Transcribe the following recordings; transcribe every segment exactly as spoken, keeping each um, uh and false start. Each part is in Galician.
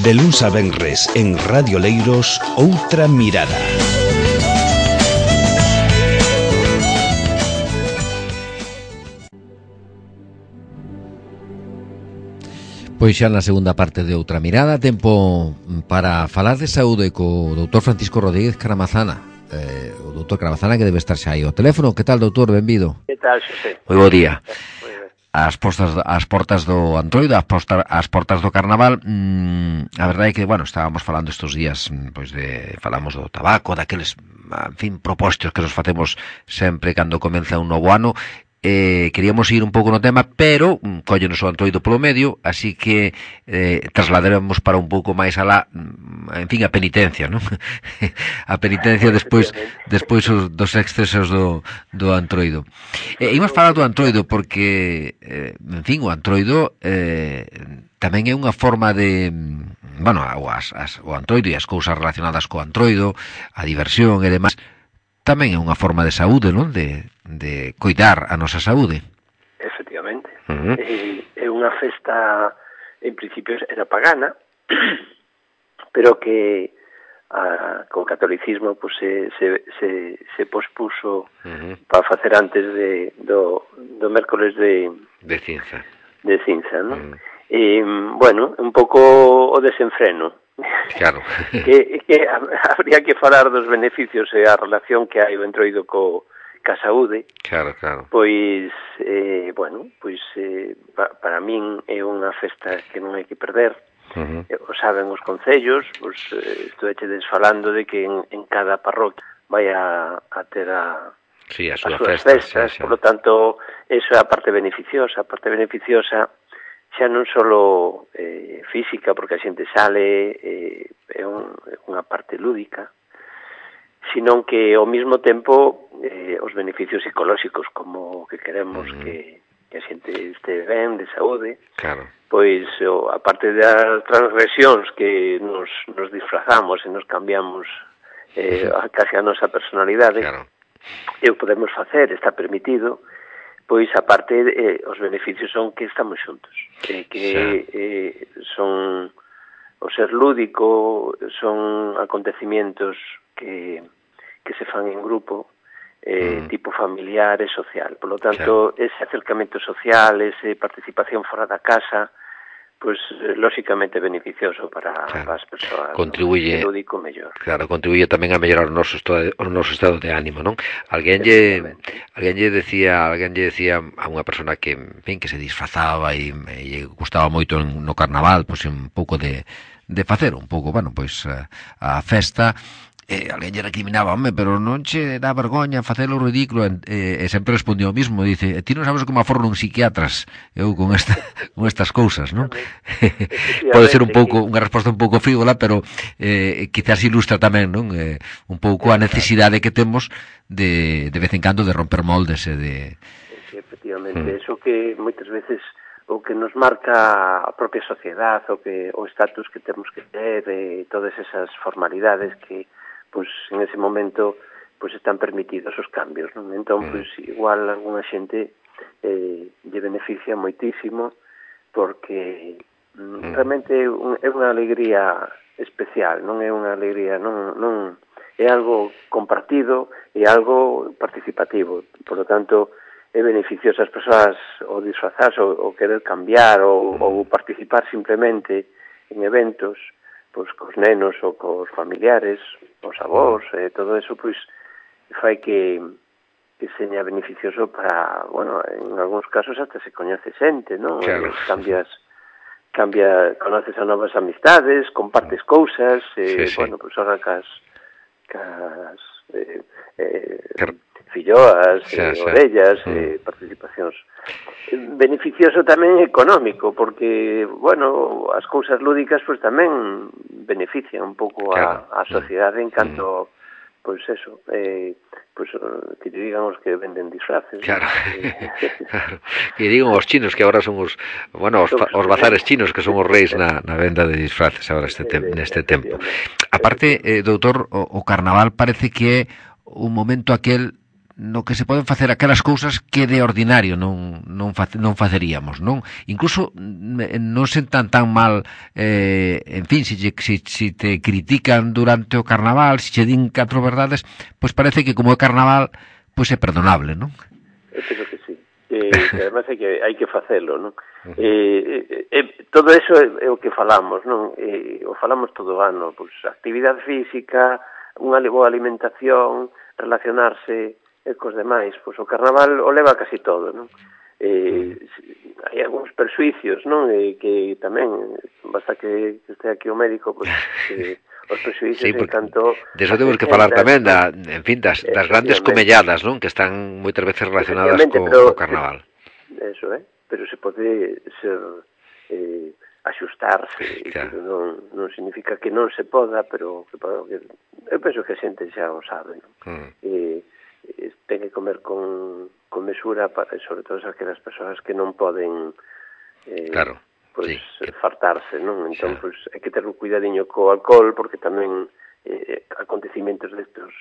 De luns a venres en Radio Leiros, Outra Mirada. Pois xa na segunda parte de Outra Mirada, tempo para falar de saúde co doutor Francisco Rodríguez Caramazana. Eh, o doutor Caramazana que debe estar xa aí ao teléfono. Que tal, doutor? Benvido. Que tal, Xosé? Moi bo día. As portas, as portas do Antroido, as, posta, as portas do Carnaval, mmm, a verdade é que, bueno, estábamos falando estes días, pois de, falamos do tabaco, daqueles, en fin, propostos que nos facemos sempre cando comeza un novo ano. Eh, queríamos ir un pouco no tema, pero mm, cóllenos o Antroido polo medio, así que eh, trasladaremos para un pouco máis alá, en fin, a penitencia, non? A penitencia despois despois os, dos excesos do, do Antroido. Eh, imos falar do Antroido porque, eh, en fin, o Antroido eh, tamén é unha forma de, bueno, as, as, o Antroido e as cousas relacionadas co Antroido, a diversión e demais, tamén é unha forma de saúde, non? De, de coidar a nosa saúde. Efectivamente. Uh-huh. É, é unha festa, en principio, era pagana, pero que a, co catolicismo pues, se, se, se, se pospuso uh-huh. para facer antes de, do, do mércoles de... De cinza. De cinza, non? Uh-huh. E, bueno, un pouco o desenfreno. Claro. que, que habría que falar dos beneficios e a relación que hai o Entroido co, ca saúde. Claro, claro. Pois, eh, bueno, pois eh, pa, para min é unha festa que non hai que perder. Uh-huh. O saben os concellos, pois, eh, estuvechedes falando de que en, en cada parroquia vai a, a ter a, sí, a, as súa súas festa, festas, sí, sí. Por lo tanto, eso é a parte beneficiosa, a parte beneficiosa xa non só eh, física, porque a xente sale, eh, é un, unha parte lúdica, sino que ao mesmo tempo eh, os beneficios psicolóxicos, como que queremos uh-huh. que, que a xente este ben, de saúde, claro. Pois o, a parte das transgresións que nos, nos disfrazamos e nos cambiamos eh, uh-huh. casi a nosa personalidade, claro. E o podemos facer, está permitido. Pois, aparte, eh, os beneficios son que estamos xuntos, eh, que eh, son o ser lúdico, son acontecimientos que, que se fan en grupo, eh, mm. tipo familiar e social. Por lo tanto, claro. Ese acercamento social, esa participación fora da casa, pois, lóxicamente beneficioso para claro. As persoas. Contribuye, ¿no? Lúdico mellor. Claro, contribuye tamén a mellorar o noso estado, o noso estado de ánimo, non? Alguén lle, alguén lle decía, alguén lle decía a unha persona que, en fin, que se disfrazaba e, e lle gustaba moito no carnaval, pois un pouco de de facer un pouco, bueno, pois a, a festa. E alguén lle recriminaba, home, pero non che dá vergoña facelo ridículo, e, e sempre respondió o mismo, dice, ti non sabes como aforran uns psiquiatras eu con esta con estas cousas, non? Pode ser un pouco unha resposta un pouco frívola, pero eh, quizás ilustra tamén, non? Eh, un pouco a necesidade que temos de de vez en cando de romper moldes e de... Sí, efectivamente, mm. eso que moitas veces o que nos marca a propia sociedade, o que o estatus que temos que ter, e todas esas formalidades que pois en ese momento pois están permitidos os cambios, non? Entón, pois igual algunha xente eh, lle beneficia moitísimo porque mm, realmente un, é unha alegría especial, non é unha alegría, non, non é algo compartido e algo participativo. Por lo tanto, é beneficioso as persoas o disfrazarse ou, ou querer cambiar ou, ou participar simplemente en eventos, pois cos nenos ou cos familiares, os avós, e todo eso, pois, fai que, que seña beneficioso para, bueno, en algúns casos hasta se coñece xente, non? Claro. Cambias, cambia, conoces a novas amistades, compartes cousas, e, sí, sí. bueno, pois, ahora cas, cas eh, eh, filloas, xa, eh, xa. orellas, mm. eh, participacións. Beneficioso tamén económico, porque, bueno, as cousas lúdicas pois tamén benefician un pouco claro. a, a sociedade en canto, mm. pois eso, eh, pois que te digan os que venden disfraces. Claro. Eh, claro. Que digan os chinos que agora son os, bueno, os, os bazares chinos que son os reis na, na venda de disfraces agora este tem, neste tempo. Aparte, eh, doutor, o, o carnaval parece que é un momento aquel no que se poden facer aquelas cousas que de ordinario non non, fa, non faceríamos, non? Incluso non sentan tan mal, eh, en fin, se, se, se te critican durante o carnaval, se che din catro verdades, pois parece que como é carnaval, pois é perdonable, non? Eu penso que sí. Eh, que además hai que, hai que facelo, non? Uh-huh. Eh, eh, todo eso é, é o que falamos, non? Eh, o falamos todo o ano, pois, actividade física, unha boa alimentación, relacionarse e cos demais, pois o carnaval o leva casi todo, non? Eh, hai algúns persuicios, non? Eh, que tamén, basta que este aquí o médico, pois, que os presuízos sí, en canto... De eso temos que falar tamén, da, en fin, das, das grandes comelladas, non? Que están moitas veces relacionadas co, pero, co carnaval. Eso, eh? Pero se pode ser... Eh, axustarse, claro. Que non, non significa que non se poda, pero que, que, eu penso que a xente xa o sabe, non? Mm. E, e ten que comer con, con mesura, para, sobre todo aquelas persoas que non poden eh, claro. Pois, sí. fartarse, non? Entón, sí. Pois, hai que ter un cuidadiño co alcohol, porque tamén eh, acontecimentos destos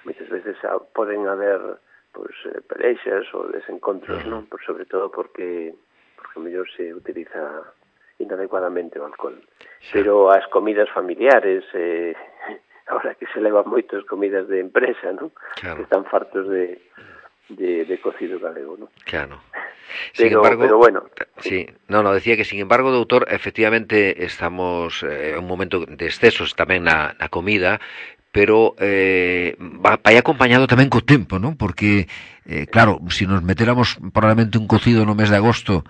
moitas veces poden haber pois, pelexas ou desencontros, mm. non? Pois, sobre todo porque porque mellor se utiliza inadecuadamente o alcohol. Sí. Pero as comidas familiares, eh, ahora que se levan moitas comidas de empresa, ¿no? Claro. Que están fartos de, de, de cocido galego, ¿no? Claro. Sin pero, embargo, pero bueno. Sí, no, no, decía que, sin embargo, doutor, efectivamente estamos en eh, un momento de excesos tamén na, na comida, pero eh, vai acompañado tamén co tempo, ¿no? Porque, eh, claro, se si nos metéramos probablemente un cocido no mes de agosto,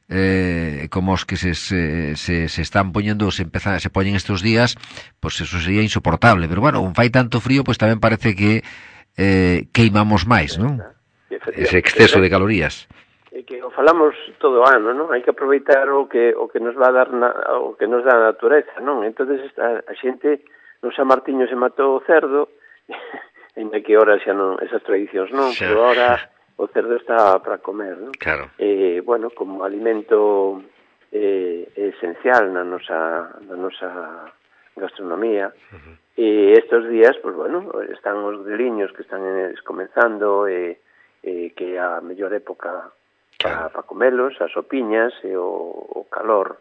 eh, como os que se, se, se, se están poñendo, se empezan, se poñen estos días, pues eso sería insoportable, pero bueno, un fai tanto frío, pues tamén parece que eh, queimamos máis, non? Ese exceso de calorías. E que o falamos todo o ano, non? Hai que aproveitar o que o que nos va a dar na, o que nos dá a natureza, non? Entonces a, a xente no San Martiño se matou o cerdo, en que ahora xa non esas tradicións non, xa. Pero ahora o cerdo está para comer, non? Claro. Eh, bueno, como alimento eh, esencial na nosa, na nosa gastronomía. Uh-huh. E estes días, pues bueno, están os greliños que están comenzando, e eh, eh, que é a mellor época para, para comelos, as sopiñas e o, o calor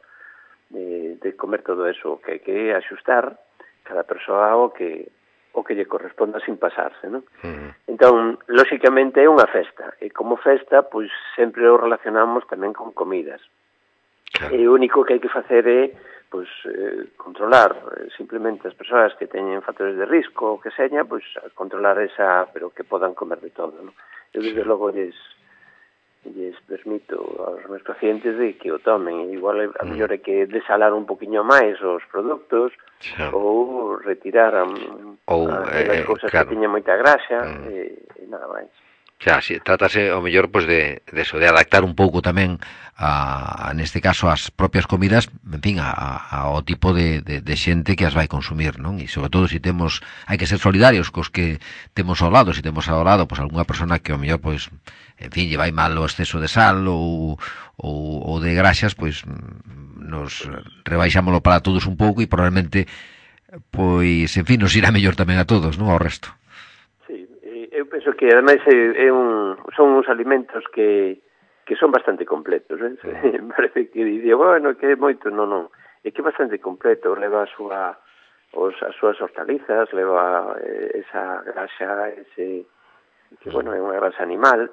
de, de comer todo eso, que hai que axustar cada persoa o que o que lle corresponda sin pasarse, non? Uh-huh. Entón, lóxicamente é unha festa, e como festa, pois sempre o relacionamos tamén con comidas. Claro. E o único que hai que facer é pois eh, controlar eh, simplemente as persoas que teñen factores de risco ou que seña, pois controlar esa, pero que podan comer de todo, non? Eu desde logo lles lles permito aos meus pacientes de que o tomen, igual a mellor é que desalar un poquinho máis os produtos, sí. Ou retirar a, ou, a, eh, as cousas claro. Que teñen moita graxa, mm. e, e nada máis. Xa, si, trátase o mellor pois de, de eso, de adaptar un pouco tamén a, a neste caso as propias comidas, en fin, a, a, ao tipo de, de, de xente que as vai consumir, non? E sobre todo se temos, hai que ser solidarios cos que temos ao lado, se temos ao lado pois algunha persona que o mellor pois, en fin, lle vai mal o exceso de sal ou, ou, ou de graxas, pois nos rebaixámoslo para todos un pouco e probablemente pois, en fin, nos irá mellor tamén a todos, non? Ao resto. Eu penso que, ademais, é, é un, son uns alimentos que, que son bastante completos, eh? Sí. Parece que dice, bueno, que é moito, non, non. É que é bastante completo, leva a súa, os, as súas hortalizas, leva eh, esa graxa, ese, que, bueno, é unha grasa animal,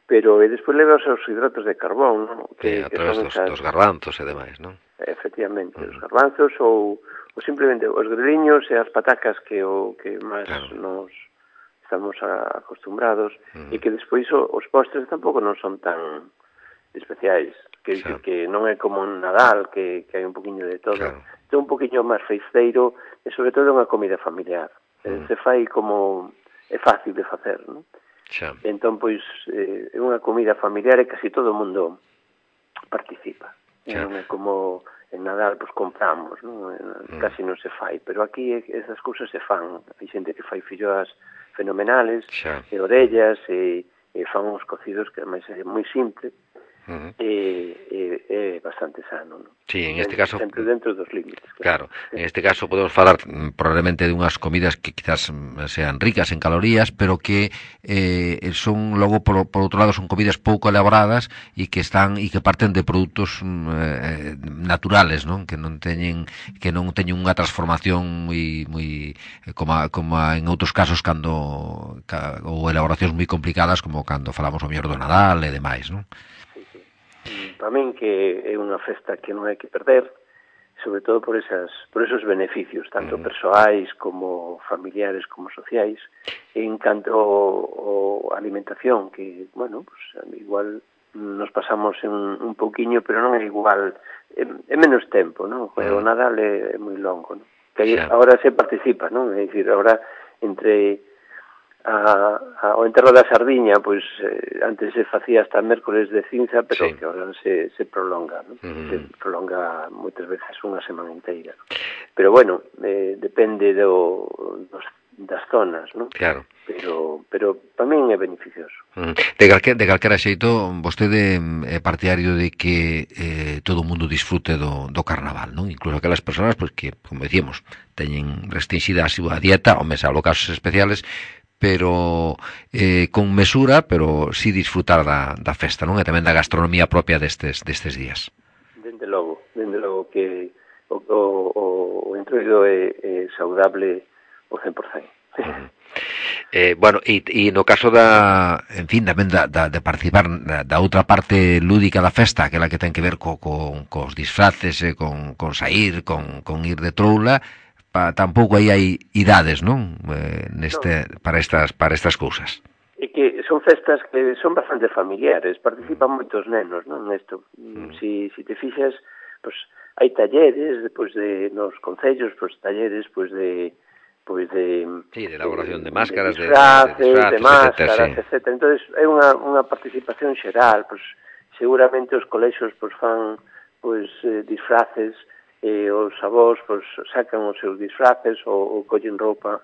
pero e despois leva os seus hidratos de carbón, non? Que, sí, a través dos, esas... dos garbanzos e demais, non? Efectivamente, uh-huh. Os garbanzos ou, ou simplemente os greliños e as patacas que o que máis claro. Nos estamos acostumbrados, mm. e que despois os postres tampouco non son tan especiais, que, claro. que, que non é como un Nadal, que, que hai un poquinho de todo, claro. É un poquinho máis feiceiro, e sobre todo unha comida familiar, mm. se fai como é fácil de facer, non? Xa. Entón, pois, é eh, unha comida familiar e casi todo o mundo participa, xa. Non é como en Nadal, pois compramos, non? Mm. Casi non se fai, pero aquí esas cousas se fan, hai xente que fai filloas fenomenales, xa. E orellas, e, e fan uns cocidos que ademais é moi simple, uh-huh. e, e, é bastante sano, non? Sí, en este caso sempre dentro dos límites. Claro, en este caso podemos falar probablemente de unhas comidas que quizás sean ricas en calorías, pero que eh, son logo por, por outro lado son comidas pouco elaboradas e que están e que parten de produtos eh, naturales, non? Que non teñen que non teñen unha transformación moi moi como a, como a en outros casos cando ca, ou elaboracións moi complicadas como cando falamos o mellor do Nadal e demais, non? Sí, sí. Para min que é unha festa que non hai que perder, sobre todo por esas por esos beneficios, tanto persoais como familiares como sociais, en canto ao alimentación, que, bueno, pues, igual nos pasamos en un pouquiño, pero non é igual, é, é menos tempo, non? O Nadal é, é moi longo, non? Que aí, agora se participa, non? É dicir, agora entre a, a, o enterro da sardiña, pois eh, antes se facía hasta mércoles de cinza, pero sí, que agora se, se prolonga, ¿no? Uh-huh. Se prolonga moitas veces unha semana inteira. Pero bueno, eh, depende do, dos, das zonas, ¿no? Claro. Pero, pero para min é beneficioso. Uh-huh. De, calque, de calquera xeito, vostede é partidario de que eh, todo o mundo disfrute do, do carnaval, non? Incluso aquelas persoas pois, que, como decíamos, teñen restringida a súa dieta, ou mesmo casos especiales, pero eh, con mesura, pero si disfrutar da, da festa, non? E tamén da gastronomía propia destes, destes días. Dende logo, dende logo que o, o, o entroido é, é saudable o cen por cento. Uh-huh. Eh, bueno, e, e no caso da, en fin, tamén da, da, de participar da, da outra parte lúdica da festa, aquela que ten que ver co, co, cos disfraces, eh, con, con sair, con, con ir de troula, pa, tampouco aí hai idades, non? Eh, neste, no. para estas para estas cousas. E que son festas que son bastante familiares, participan moitos nenos, non, nesto. Mm. Si, si te fixas, pues, hai talleres, pois, de, nos concellos, pues, talleres, pois, de pois de sí, de elaboración de, de máscaras, de disfraces, de, de, disfraces, de máscaras, etcétera, sí. etcétera. Entonces, é unha, unha participación xeral, pois, seguramente os colexios pois, fan pois, eh, disfraces, e os avós pois, sacan os seus disfraces ou, ou collen roupa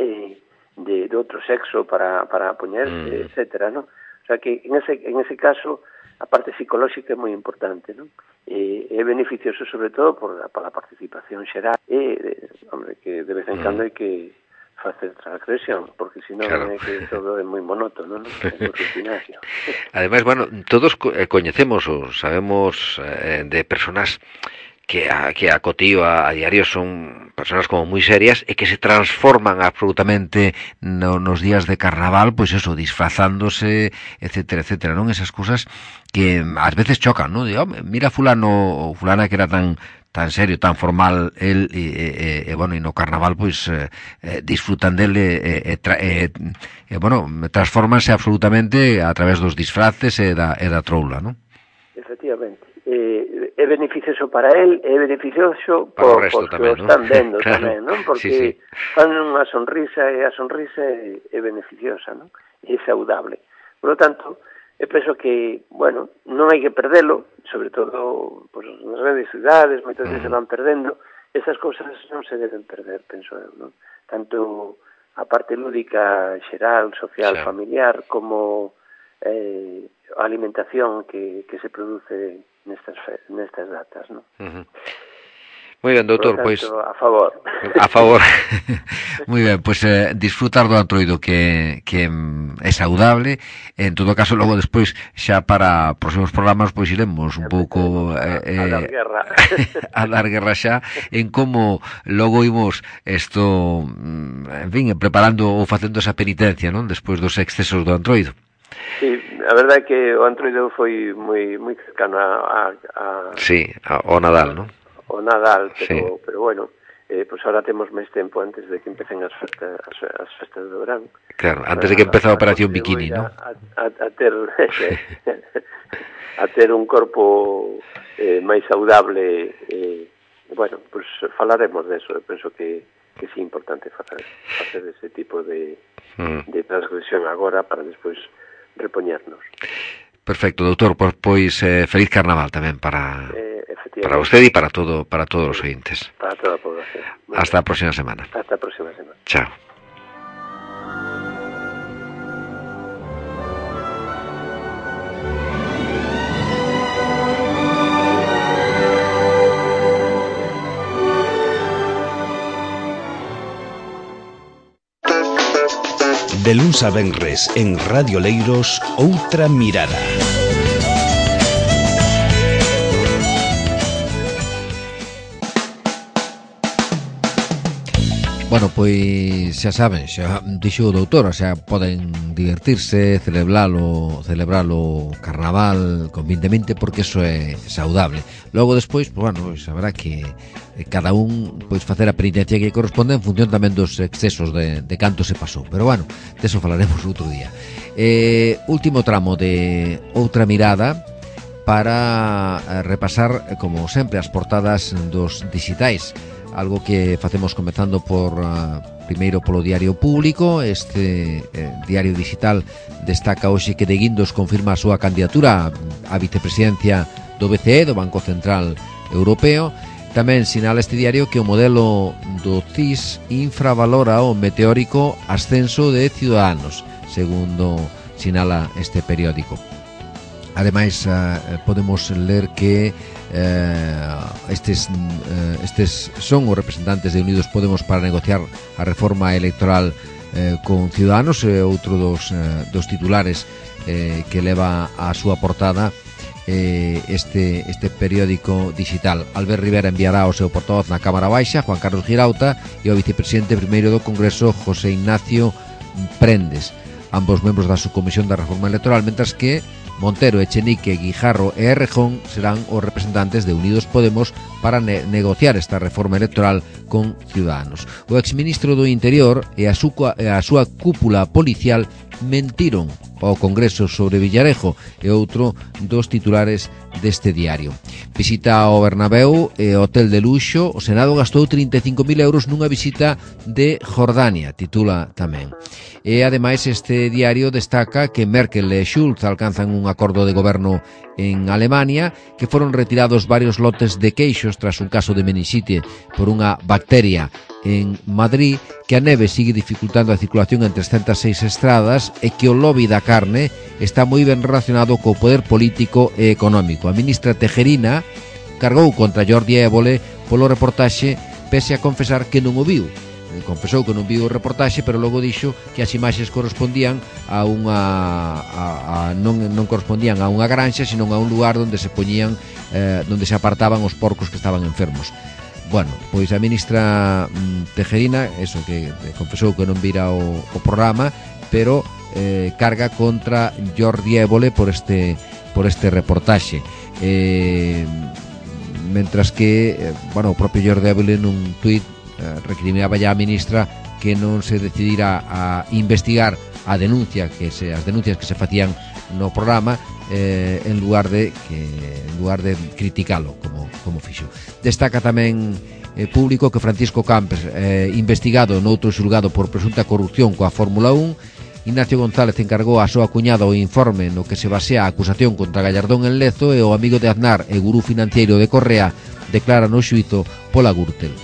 eh, de, de outro sexo para, para poñerse, mm. etcétera, ¿no? O sea que en ese, en ese caso a parte psicolóxica é moi importante, ¿no? E é beneficioso sobre todo por a, por a participación xeral e, hombre, que de vez en cando hai que facer transgresión, porque senón claro. É que todo é moi monótono, non? É moi rutinario. Ademais, bueno, todos coñecemos ou sabemos eh, de personas que a, que a cotío a, a diario son personas como moi serias e que se transforman absolutamente no, nos días de carnaval, pois eso, disfrazándose, etcétera, etcétera, non? Esas cousas que ás veces chocan, non? Digo, mira fulano ou fulana que era tan tan serio, tan formal el e, e, e bueno, e no carnaval pois eh, disfrutan dele e, e, tra, e, e bueno, transformanse absolutamente a través dos disfraces e da, e da troula, non? Efectivamente. Eh, é beneficioso para él, é beneficioso por, por que tamén, o están vendo claro. Tamén, non? Porque sí, sí. Fan unha sonrisa e a sonrisa é, é beneficiosa, non? É saudable. Por lo tanto, eu penso que, bueno, non hai que perdelo, sobre todo pues, nas grandes cidades, moitas veces se van perdendo, esas cousas non se deben perder, penso eu, non? Tanto a parte lúdica xeral, social, sí. familiar, como eh, a alimentación que, que se produce nestas, nestas datas, non? Uh-huh. Moi ben, doutor, pois pues, a favor. A favor. Moi ben, pois pues, eh, disfrutar do Antroido que que é saudable. En todo caso, logo despois xa para próximos programas pois iremos un pouco eh, a, a dar guerra. a dar guerra xa en como logo imos isto, en fin, preparando ou facendo esa penitencia, non? Despois dos excesos do Antroido. Sí, a verdade é que o Antroido foi moi moi cercano a, a, a sí, ao Nadal, non? O Nadal, pero, sí. pero bueno, eh, pues ahora temos máis tempo antes de que empecen as festas, as, as festas do verán. Claro, antes de que empece a Operación Bikini, ¿no? A, a, a ter a ter un corpo eh, máis saudable, eh, bueno, pues falaremos de eso, eu penso que que sí é importante facer, facer ese tipo de, mm. de transgresión agora para despois repoñernos. Perfecto, doutor, pois, pois eh, feliz carnaval tamén para eh, para usted e para todo para todos os oyentes. Para toda a población. Hasta a próxima semana. Hasta a próxima semana. Chao. De luns a venres en Radio Leiros, Outra Mirada. Bueno, pois xa saben, xa dixo o doutor, xa poden divertirse, celebralo, celebralo carnaval convintemente, porque eso é saudable. Logo despois, pois, bueno, pois, habrá que cada un pois facer a penitencia que corresponde en función tamén dos excesos de, de canto se pasou. Pero bueno, deso falaremos outro día. Eh, último tramo de Outra Mirada para repasar, como sempre, as portadas dos dixitais. Algo que facemos comezando por uh, primeiro polo Diario Público. Este eh, diario digital destaca hoxe que De Guindos confirma a súa candidatura á vicepresidencia do B C E, do Banco Central Europeo. Tamén sinala este diario que o modelo do C I S infravalora o meteórico ascenso de Ciudadanos, segundo sinala este periódico. Ademais, uh, podemos ler que uh, estes, uh, estes son os representantes de Unidos Podemos para negociar a reforma electoral uh, con Ciudadanos, uh, outro dos, uh, dos titulares uh, que leva a súa portada uh, este, este periódico digital. Albert Rivera enviará o seu portavoz na Cámara Baixa, Juan Carlos Girauta, e o vicepresidente primeiro do Congreso, José Ignacio Prendes, ambos membros da subcomisión da reforma electoral, mentras que Montero, Echenique, Guijarro e Errejón serán os representantes de Unidos Podemos para ne negociar esta reforma electoral con Ciudadanos. O exministro do Interior e a, súa, e a súa cúpula policial mentiron ao Congreso sobre Villarejo, e outro dos titulares deste diario. Visita ao Bernabéu e hotel de luxo. O Senado gastou trinta e cinco mil euros nunha visita de Jordania, titula tamén. E ademais este diario destaca que Merkel e Schulz alcanzan un acordo de goberno en Alemania, que foron retirados varios lotes de queixos tras un caso de meningite por unha bacteria en Madrid, que a neve sigue dificultando a circulación en trescentas seis estradas e que o lobby da carne está moi ben relacionado co poder político e económico. A ministra Tejerina cargou contra Jordi Évole polo reportaxe, pese a confesar que non o viu. Confesou que non viu o reportaxe, pero logo dixo que as imaxes correspondían a unha a, a, non, non correspondían a unha granxa, sino a un lugar onde se poñían eh, onde se apartaban os porcos que estaban enfermos. Bueno, pois a ministra mm, Tejerina, eso, que confesou que non vira o, o programa, pero eh, carga contra Jordi Évole por este por este reportaxe. Eh, mentras que, eh, bueno, o propio Jordi Évole nun tuit eh, recriminaba ya a ministra que non se decidira a investigar a denuncia que se as denuncias que se facían no programa, eh, en lugar de que en lugar de criticalo como como fixo. Destaca tamén eh, Público que Francisco Camps, eh, investigado noutro xulgado por presunta corrupción coa Fórmula un. Ignacio González encargou a súa cuñada o informe no que se basea a acusación contra Gallardón en Lezo, e o amigo de Aznar e gurú financiero de Correa declara no xuízo pola Gürtel.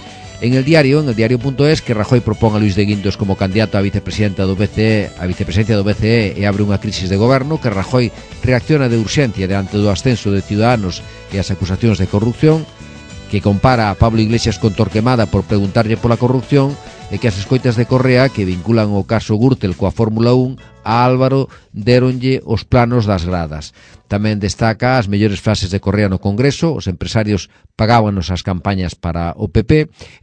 En el diario, en el diario.es, que Rajoy propón a Luis de Guindos como candidato a vicepresidenta do B C E, a vicepresidencia do B C E, e abre unha crisis de goberno, que Rajoy reacciona de urxencia diante do ascenso de Ciudadanos e as acusacións de corrupción, que compara a Pablo Iglesias con Torquemada por preguntarlle pola corrupción, e que as escoitas de Correa que vinculan o caso Gürtel coa Fórmula un a Álvaro deronlle os planos das gradas. Tamén destaca as mellores frases de Correa no Congreso. Os empresarios pagábanos as campañas para o P P,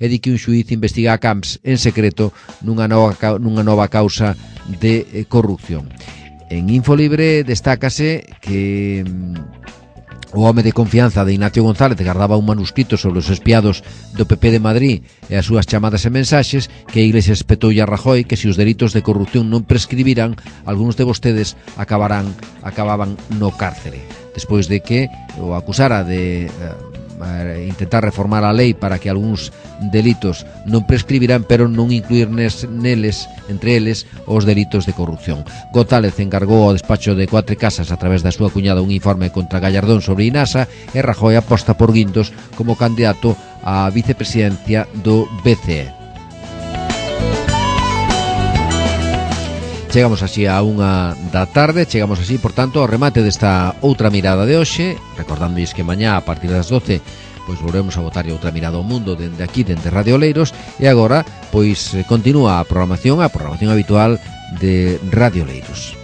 e di que un xuíz investiga a Camps en secreto nunha nova, nunha nova causa de corrupción. En Infolibre destácase que o home de confianza de Ignacio González gardaba un manuscrito sobre os espiados do P P de Madrid e as súas chamadas e mensaxes, que a Iglesia espetoulle a Rajoy que se os delitos de corrupción non prescribiran, algúns de vostedes acabarán acababan no cárcere. Despois de que o acusara de eh, intentar reformar a lei para que algúns delitos non prescribiran, pero non incluir nes, neles, entre eles, os delitos de corrupción. González encargou ao despacho de Cuatro Casas a través da súa cuñada un informe contra Gallardón sobre Inasa, e Rajoy aposta por Guindos como candidato á vicepresidencia do B C E. Chegamos así a unha da tarde, chegamos así, por tanto, ao remate desta outra mirada de hoxe, recordándois que mañá a partir das doce pois volvemos a botarlle outra mirada ao mundo dende aquí, dende Radio Oleiros, e agora pois continúa a programación, a programación habitual de Radio Oleiros.